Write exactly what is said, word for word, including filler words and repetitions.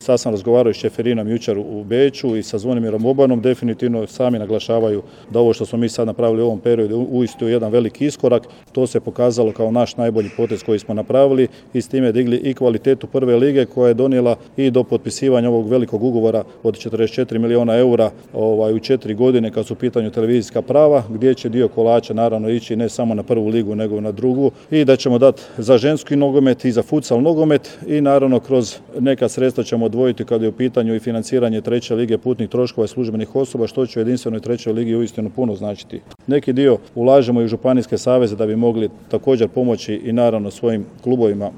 sad sam razgovarao s Čeferinom jučer u Beču i sa Zvonimirom Bobanom, definitivno sami naglašavaju da ovo što smo mi sad napravili u ovom periodu uistinu je jedan veliki iskorak. To se pokazalo kao naš najbolji potez koji smo napravili i s time digli i kvalitetu prve lige koja je donijela i do potpisivanja ovog velikog ugovora od četrdeset četiri milijuna eura ovaj, u četiri godine kad su u pitanju televizijska prava, gdje će dio kolača naravno ići ne samo na prvu ligu nego na drugu i da ćemo dati za ženski nogomet i za futsal nogomet i naravno kroz neka sredstva ćemo odvojiti kad je u pitanju i financiranje treće lige putnih troškova i službenih osoba, što će u jedinstvenoj trećoj ligi uistinu puno značiti. Neki dio ulažemo i u županijske saveze da bi mogli također pomoći i naravno svojim klubovima